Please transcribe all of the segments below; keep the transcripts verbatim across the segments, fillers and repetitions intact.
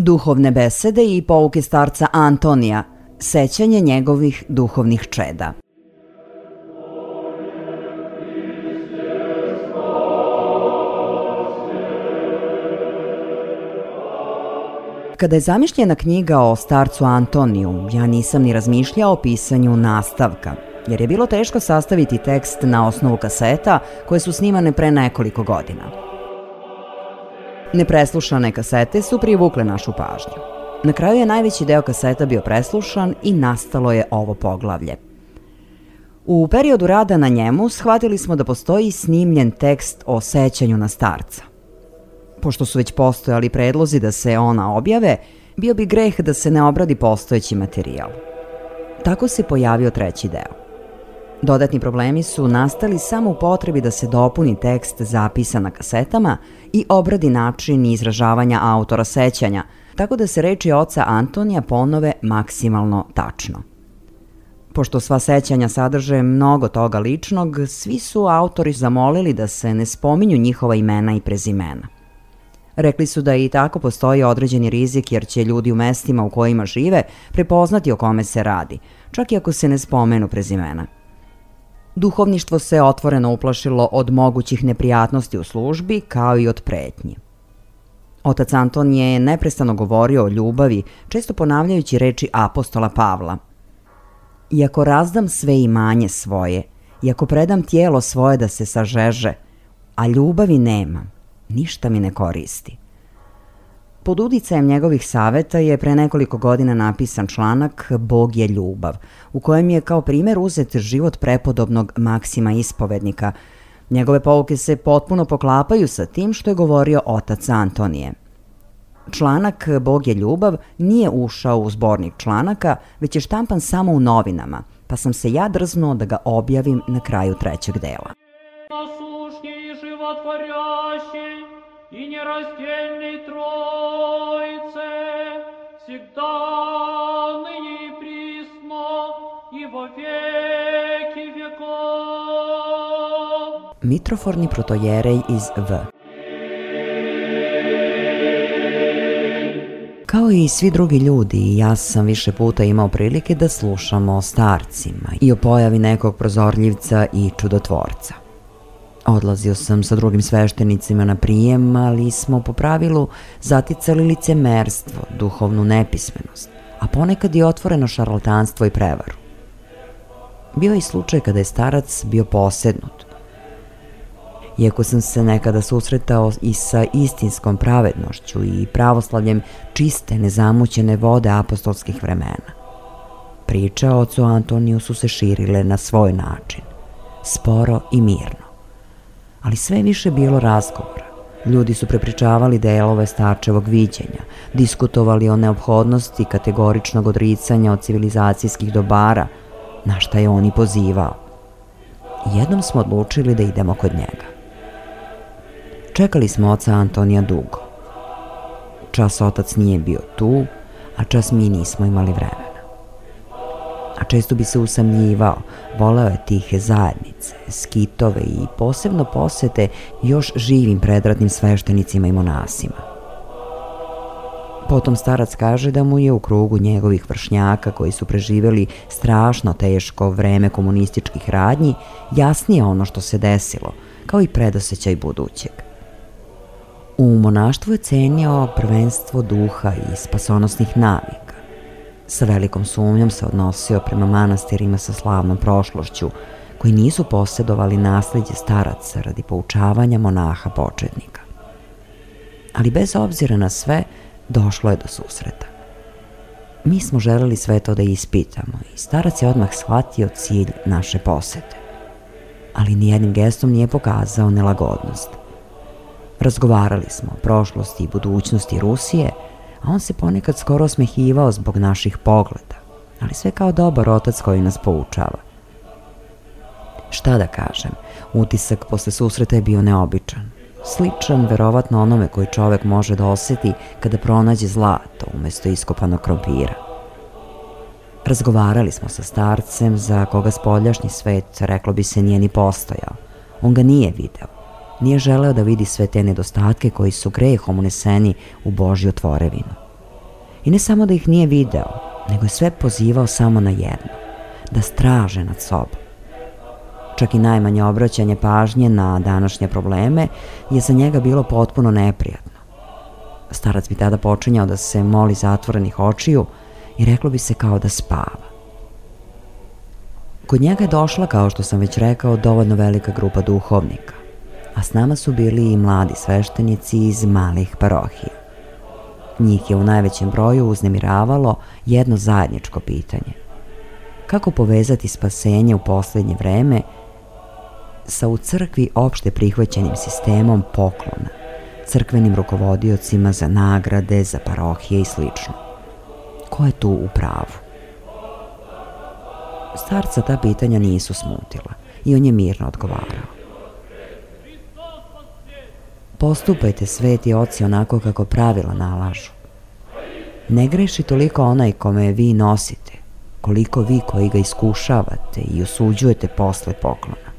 Duhovne besede i pouke starca Antonija, sećanje njegovih duhovnih čeda. Kada je zamišljena knjiga o starcu Antoniju, ja nisam ni razmišljao o pisanju nastavka, jer je bilo teško sastaviti tekst na osnovu kaseta koje su snimane pre nekoliko godina. Nepreslušane kasete su privukle našu pažnju. Na kraju je najveći deo kaseta bio preslušan i nastalo je ovo poglavlje. U periodu rada na njemu shvatili smo da postoji snimljen tekst o sećanju na starca. Pošto su već postojali predlozi da se ona objave, bio bi greh da se ne obradi postojeći materijal. Tako se pojavio treći deo. Dodatni problemi su nastali samo u potrebi da se dopuni tekst zapisan na kasetama i obradi način izražavanja autora sećanja, tako da se reči oca Antonija ponove maksimalno tačno. Pošto sva sećanja sadrže mnogo toga ličnog, svi su autori zamolili da se ne spominju njihova imena i prezimena. Rekli su da i tako postoji određeni rizik jer će ljudi u mestima u kojima žive prepoznati o kome se radi, čak i ako se ne spomenu prezimena. Duhovništvo se otvoreno uplašilo od mogućih neprijatnosti u službi, kao i od pretnji. Otac Anton je neprestano govorio o ljubavi, često ponavljajući reči apostola Pavla. Iako razdam sve imanje svoje, iako predam tijelo svoje da se sažeže, a ljubavi nemam, ništa mi ne koristi. Pod uticajem njegovih saveta je pre nekoliko godina napisan članak Bog je ljubav, u kojem je kao primer uzet život prepodobnog Maksima Ispovednika. Njegove pouke se potpuno poklapaju sa tim što je govorio otac Antonije. Članak Bog je ljubav nije ušao u zbornik članaka, već je štampan samo u novinama, pa sam se ja drznuo da ga objavim na kraju trećeg dela. И нераздельной Троице, всегда, ныне и присно, и во веки веков. Mitroforni protojerej iz V. Kao i svi drugi ljudi, ja sam više puta imao prilike da slušam o starcima i o pojavi nekog prozorljivca i čudotvorca. Odlazio sam sa drugim sveštenicima na prijem, ali smo po pravilu zaticali licemerstvo, duhovnu nepismenost, a ponekad i otvoreno šarlatanstvo i prevaru. Bio je i slučaj kada je starac bio posednut. Iako sam se nekada susretao i sa istinskom pravednošću i pravoslavljem čiste, nezamućene vode apostolskih vremena, priče o ocu Antoniju su se širile na svoj način, sporo i mirno. Ali sve više bilo razgovora. Ljudi su prepričavali delove starčevog viđenja, diskutovali o neophodnosti kategoričnog odricanja od civilizacijskih dobara, na šta je on i pozivao. Jednom smo odlučili da idemo kod njega. Čekali smo oca Antonija dugo. Čas otac nije bio tu, a čas mi nismo imali vremena. A često bi se usamljivao, voleo je tihe zajednice, skitove i posebno posete još živim predratnim sveštenicima i monasima. Potom starac kaže da mu je u krugu njegovih vršnjaka koji su preživjeli strašno teško vreme komunističkih radnji jasnije ono što se desilo, kao i predosećaj budućeg. U monaštvu je cenio prvenstvo duha i spasonosnih navika. Sa velikom sumnjom se odnosio prema manastirima sa slavnom prošlošću, koji nisu posjedovali nasleđe staraca radi poučavanja monaha početnika. Ali bez obzira na sve, došlo je do susreta. Mi smo želeli sve to da ispitamo i starac je odmah shvatio cilj naše posete. Ali nijednim gestom nije pokazao nelagodnost. Razgovarali smo o prošlosti i budućnosti Rusije, a on se ponekad skoro osmehivao zbog naših pogleda, ali sve kao dobar otac koji nas poučava. Šta da kažem, utisak posle susreta je bio neobičan, sličan verovatno onome koji čovek može da oseti kada pronađe zlato umesto iskopanog krompira. Razgovarali smo sa starcem za koga spoljašnji svet, reklo bi se, nije ni postojao. On ga nije video. Nije želeo da vidi sve te nedostatke koji su grehom uneseni u Božju tvorevinu. I ne samo da ih nije video, nego je sve pozivao samo na jedno, da straže nad sobom. Čak i najmanje obraćanje pažnje na današnje probleme je za njega bilo potpuno neprijatno. Starac bi tada počinjao da se moli zatvorenih očiju i reklo bi se kao da spava. Kod njega je došla, kao što sam već rekao, dovoljno velika grupa duhovnika, a s nama su bili i mladi sveštenici iz malih parohija. Njih je u najvećem broju uznemiravalo jedno zajedničko pitanje. Kako povezati spasenje u posljednje vreme sa u crkvi opšte prihvaćenim sistemom poklona, crkvenim rukovodiocima za nagrade, za parohije i slično? Ko je tu u pravu? Starca ta pitanja nisu smutila i on je mirno odgovarao. Postupajte, sveti oci, onako kako pravila nalažu. Ne greši toliko onaj kome vi nosite, koliko vi koji ga iskušavate i osuđujete posle poklona.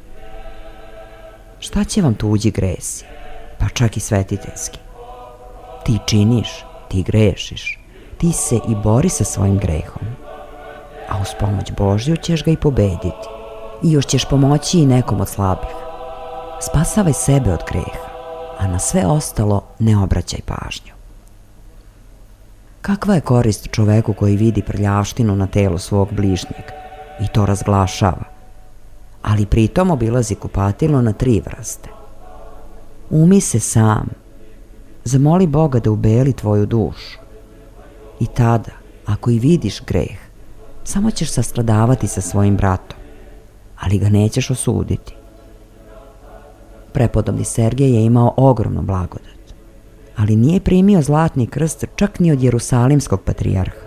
Šta će vam tuđi gresi, pa čak i svetiteljski? Ti činiš, ti grešiš, ti se i bori sa svojim grehom, a uz pomoć Božju ćeš ga i pobediti i još ćeš pomoći i nekom od slabih. Spasavaj sebe od greha, a na sve ostalo ne obraćaj pažnju. Kakva je korist čoveku koji vidi prljavštinu na telu svog bližnjeg i to razglašava, ali pritom obilazi kupatilo na tri vrste? Umi se sam, zamoli Boga da ubeli tvoju dušu i tada, ako i vidiš greh, samo ćeš sastradavati sa svojim bratom, ali ga nećeš osuditi. Prepodobni Sergej je imao ogromnu blagodat, ali nije primio zlatni krst čak ni od Jerusalimskog patrijarha.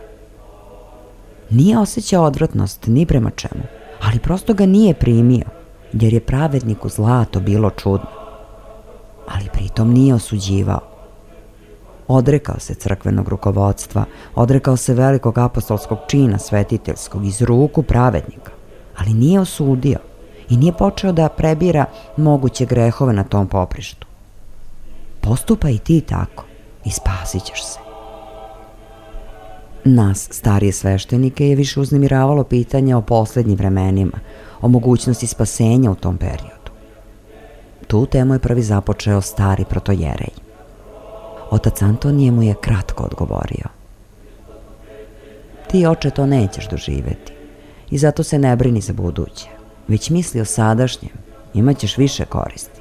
Nije osjećao odvratnost ni prema čemu, ali prosto ga nije primio, jer je pravedniku zlato bilo čudno. Ali pritom nije osuđivao. Odrekao se crkvenog rukovodstva, odrekao se velikog apostolskog čina svetiteljskog iz ruku pravednika, ali nije osudio i nije počeo da prebira moguće grehove na tom poprištu. Postupaj i ti tako i spasit ćeš se. Nas, starije sveštenike, je više uznemiravalo pitanje o posljednjim vremenima, o mogućnosti spasenja u tom periodu. Tu temu je prvi započeo stari protojerej. Otac Antonije mu je kratko odgovorio. Ti, oče, to nećeš doživeti i zato se ne brini za buduće, već misli o sadašnjem, imat ćeš više koristi.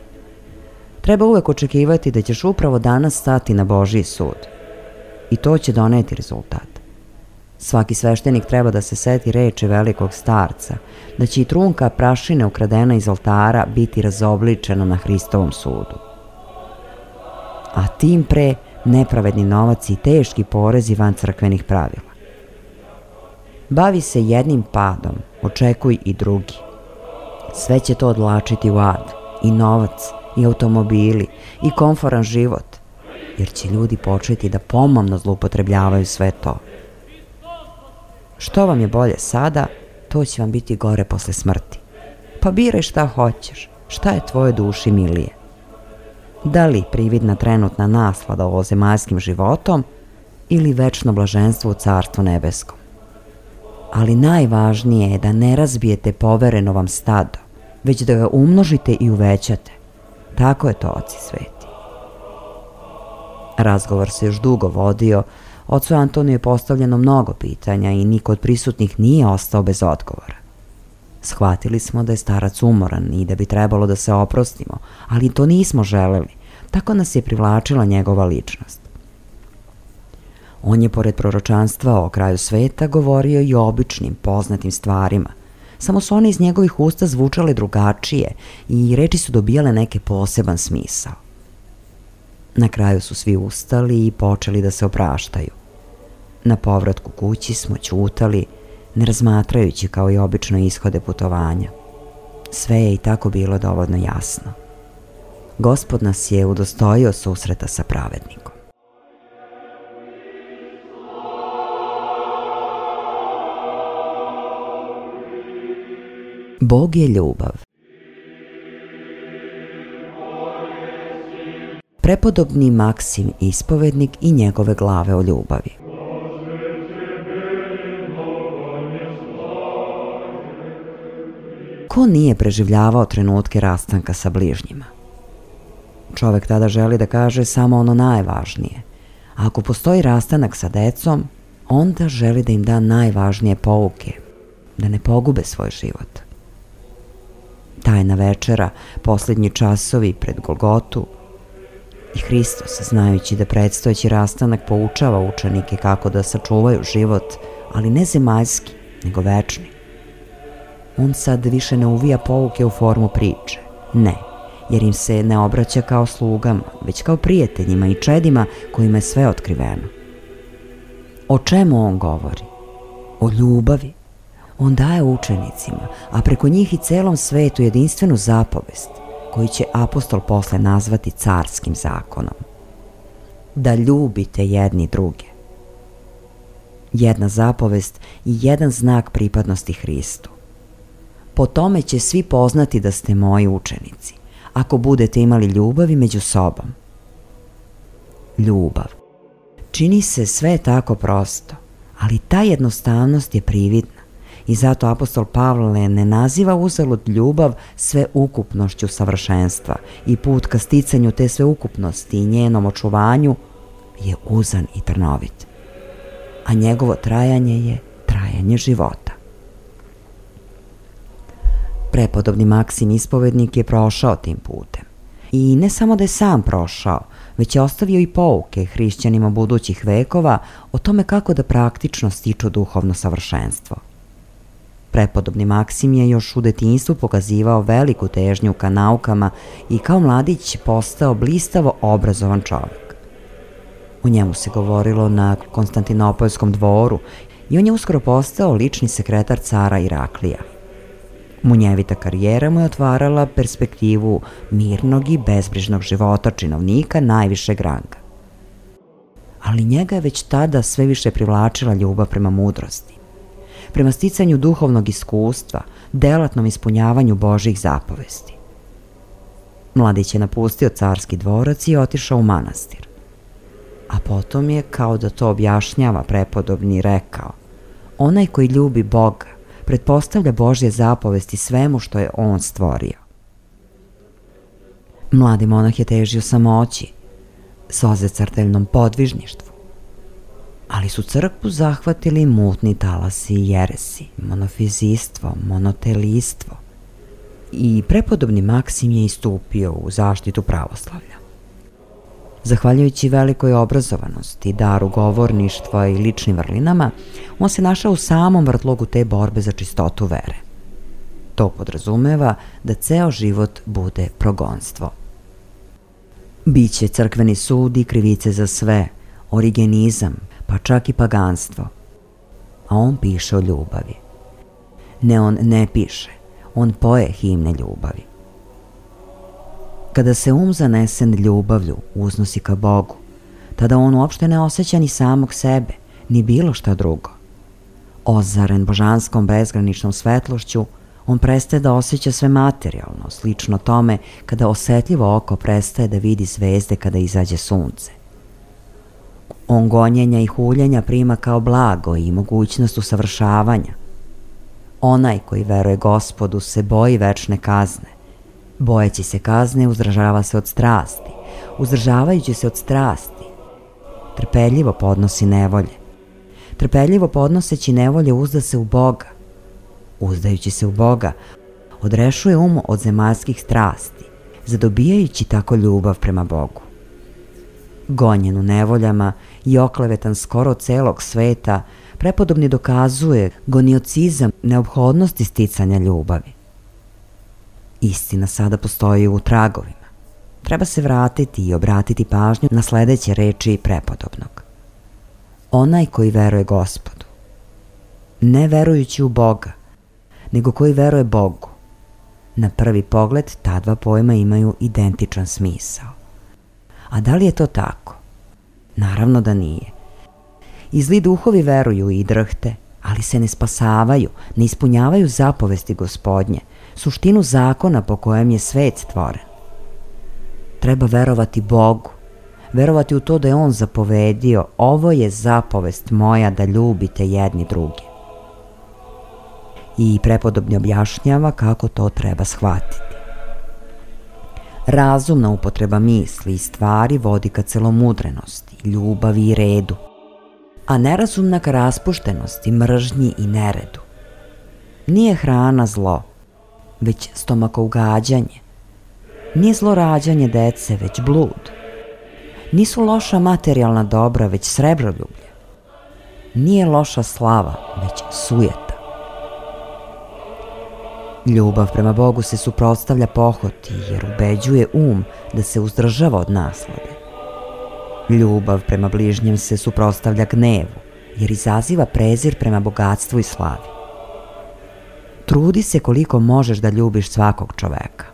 Treba uvek očekivati da ćeš upravo danas stati na Božji sud i to će doneti rezultat. Svaki sveštenik treba da se seti reči velikog starca, da će i trunka prašine ukradena iz oltara biti razobličena na Hristovom sudu. A tim pre nepravedni novac i teški porezi van crkvenih pravila. Bavi se jednim padom, očekuj i drugi. Sve će to odlačiti u ad, i novac, i automobili, i komforan život, jer će ljudi početi da pomamno zloupotrebljavaju sve to. Što vam je bolje sada, to će vam biti gore posle smrti. Pa biraj šta hoćeš, šta je tvoje duši milije. Da li prividna trenutna naslada ovozemaljskim životom ili večno blaženstvo u Carstvu nebeskom. Ali najvažnije je da ne razbijete povereno vam stado, već da ga umnožite i uvećate. Tako je to, oci sveti. Razgovor se još dugo vodio, ocu Antoniju je postavljeno mnogo pitanja i niko od prisutnih nije ostao bez odgovora. Shvatili smo da je starac umoran i da bi trebalo da se oprostimo, ali to nismo želeli, tako nas je privlačila njegova ličnost. On je, pored proročanstva o kraju sveta, govorio i o običnim, poznatim stvarima, samo su one iz njegovih usta zvučale drugačije i reči su dobijale neke poseban smisao. Na kraju su svi ustali i počeli da se opraštaju. Na povratku kući smo ćutali, ne razmatrajući kao i obično ishode putovanja. Sve je i tako bilo dovoljno jasno. Gospod nas je udostojio susreta sa pravednikom. Bog je ljubav. Prepodobni Maksim ispovednik i njegove glave o ljubavi. Ko nije preživljavao trenutke rastanka sa bližnjima? Čovek tada želi da kaže samo ono najvažnije. A ako postoji rastanak sa decom, onda želi da im da najvažnije pouke, da ne pogube svoj život. Tajna večera, posljednji časovi pred Golgotu, i Hristos, znajući da predstojeći rastanak poučava učenike kako da sačuvaju život, ali ne zemaljski, nego večni. On sad više ne uvija pouke u formu priče. Ne, jer im se ne obraća kao slugama, već kao prijateljima i čedima kojima je sve otkriveno. O čemu on govori? O ljubavi. On daje učenicima, a preko njih i celom svetu jedinstvenu zapovest, koju će apostol posle nazvati carskim zakonom. Da ljubite jedni druge. Jedna zapovest i jedan znak pripadnosti Hristu. Po tome će svi poznati da ste moji učenici, ako budete imali ljubavi među sobom. Ljubav. Čini se sve tako prosto, ali ta jednostavnost je prividna i zato apostol Pavle ne naziva uzalud ljubav sveukupnošću savršenstva i put ka sticanju te sveukupnosti i njenom očuvanju je uzan i trnovit, a njegovo trajanje je trajanje života. Prepodobni Maksim ispovednik je prošao tim putem. I ne samo da je sam prošao, već je ostavio i pouke hrišćanima budućih vekova o tome kako da praktično stiču duhovno savršenstvo. Prepodobni Maksim je još u detinjstvu pokazivao veliku težnju ka naukama i kao mladić postao blistavo obrazovan čovjek. O njemu se govorilo na Konstantinopolskom dvoru i on je uskoro postao lični sekretar cara Iraklija. Munjevita karijera mu je otvarala perspektivu mirnog i bezbrižnog života činovnika najvišeg ranga. Ali njega je već tada sve više privlačila ljubav prema mudrosti, prema sticanju duhovnog iskustva, delatnom ispunjavanju Božjih zapovesti. Mladić je napustio carski dvorac i otišao u manastir. A potom je, kao da to objašnjava prepodobni, rekao: onaj koji ljubi Boga pretpostavlja Božje zapovesti svemu što je on stvorio. Mladi monah je težio samoći, sozecrteljnom podvižništvu, ali su crkvu zahvatili mutni talasi i jeresi, monofizistvo, monotelistvo, i prepodobni Maksim je istupio u zaštitu pravoslavlja. Zahvaljujući velikoj obrazovanosti, daru govorništva i ličnim vrlinama, on se našao u samom vrtlogu te borbe za čistotu vere. To podrazumeva da ceo život bude progonstvo. Biće crkveni sud i krivice za sve, origenizam, pa čak i paganstvo. A on piše o ljubavi. Ne, on ne piše, on poje himne ljubavi. Kada se um zanesen ljubavlju uznosi ka Bogu, tada on uopšte ne osjeća ni samog sebe, ni bilo šta drugo. Ozaren božanskom bezgraničnom svetlošću, on prestaje da osjeća sve materijalno, slično tome kada osetljivo oko prestaje da vidi zvezde kada izađe sunce. On gonjenja i huljenja prima kao blago i mogućnost usavršavanja. Onaj koji veruje Gospodu se boji večne kazne. Bojeći se kazne, uzdržava se od strasti. Uzdržavajući se od strasti, trpeljivo podnosi nevolje. Trpeljivo podnoseći nevolje uzda se u Boga. Uzdajući se u Boga, odrešuje um od zemaljskih strasti, zadobijajući tako ljubav prema Bogu. Gonjen u nevoljama i oklevetan skoro celog sveta, prepodobni dokazuje goniocizam neophodnosti sticanja ljubavi. Istina sada postoji u tragovima. Treba se vratiti i obratiti pažnju na sledeće reči prepodobnog. Onaj koji veruje Gospodu, ne verujući u Boga, nego koji veruje Bogu. Na prvi pogled ta dva pojma imaju identičan smisao. A da li je to tako? Naravno da nije. I zli duhovi veruju i drhte, ali se ne spasavaju, ne ispunjavaju zapovesti Gospodnje, suštinu zakona po kojem je svet stvoren. Treba verovati Bogu, verovati u to da je On zapovedio: ovo je zapovest moja da ljubite jedni druge. i prepodobni objašnjava kako to treba shvatiti. Razumna upotreba misli i stvari vodi ka celomudrenosti, ljubavi i redu, a nerazumna ka raspuštenosti, mržnji i neredu. Nije hrana zlo, već stomakougađanje. Nije zlo rađanje dece, već blud. Nisu loša materijalna dobra, već srebroljublje. Nije loša slava, već sujeta. Ljubav prema Bogu se suprotstavlja pohoti, jer ubeđuje um da se uzdržava od naslade. Ljubav prema bližnjem se suprotstavlja gnevu, jer izaziva prezir prema bogatstvu i slavi. Trudi se koliko možeš da ljubiš svakog čoveka.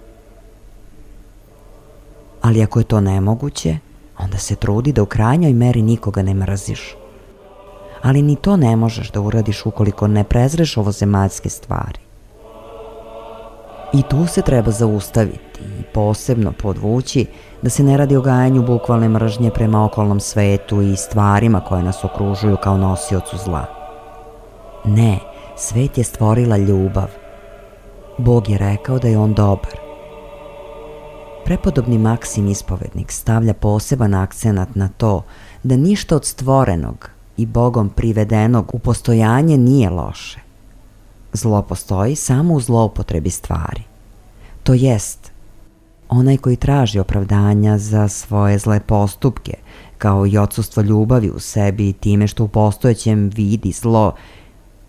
Ali ako je to nemoguće, onda se trudi da u krajnjoj meri nikoga ne mrziš. Ali ni to ne možeš da uradiš ukoliko ne prezreš ovozemaljske stvari. I tu se treba zaustaviti i posebno podvući da se ne radi o gajanju bukvalne mržnje prema okolnom svetu i stvarima koje nas okružuju kao nosiocu zla. Ne, svet je stvorila ljubav. Bog je rekao da je on dobar. Prepodobni Maksim ispovednik stavlja poseban akcenat na to da ništa od stvorenog i Bogom privedenog u postojanje nije loše. Zlo postoji samo u zloupotrebi stvari. To jest, onaj koji traži opravdanja za svoje zle postupke, kao i odsustvo ljubavi u sebi time što u postojećem vidi zlo,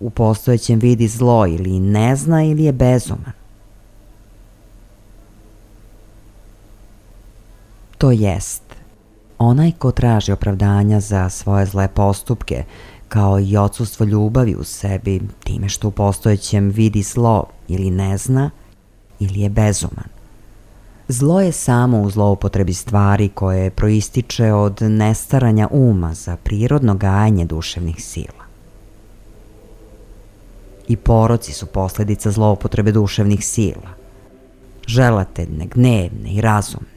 u postojećem vidi zlo ili ne zna ili je bezuman. To jest, onaj ko traži opravdanja za svoje zle postupke, kao i odsustvo ljubavi u sebi time što u postojećem vidi zlo ili ne zna ili je bezuman. Zlo je samo u zloupotrebi stvari koje proističe od nestaranja uma za prirodno gajanje duševnih sila. I poroci su posledica zloupotrebe duševnih sila, želateljne, gnevne i razumne.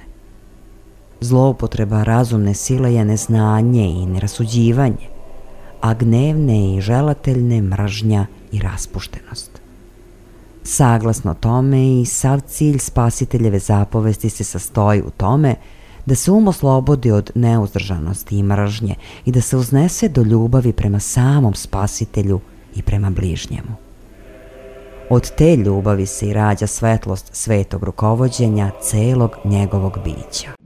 Zloupotreba razumne sile je neznanje i nerasuđivanje, a gnevne i želateljne mržnja i raspuštenost. Saglasno tome i sav cilj spasiteljeve zapovesti se sastoji u tome da se um oslobodi od neuzdržanosti i mržnje i da se uznese do ljubavi prema samom spasitelju i prema bližnjemu. Od te ljubavi se i rađa svetlost svetog rukovođenja celog njegovog bića.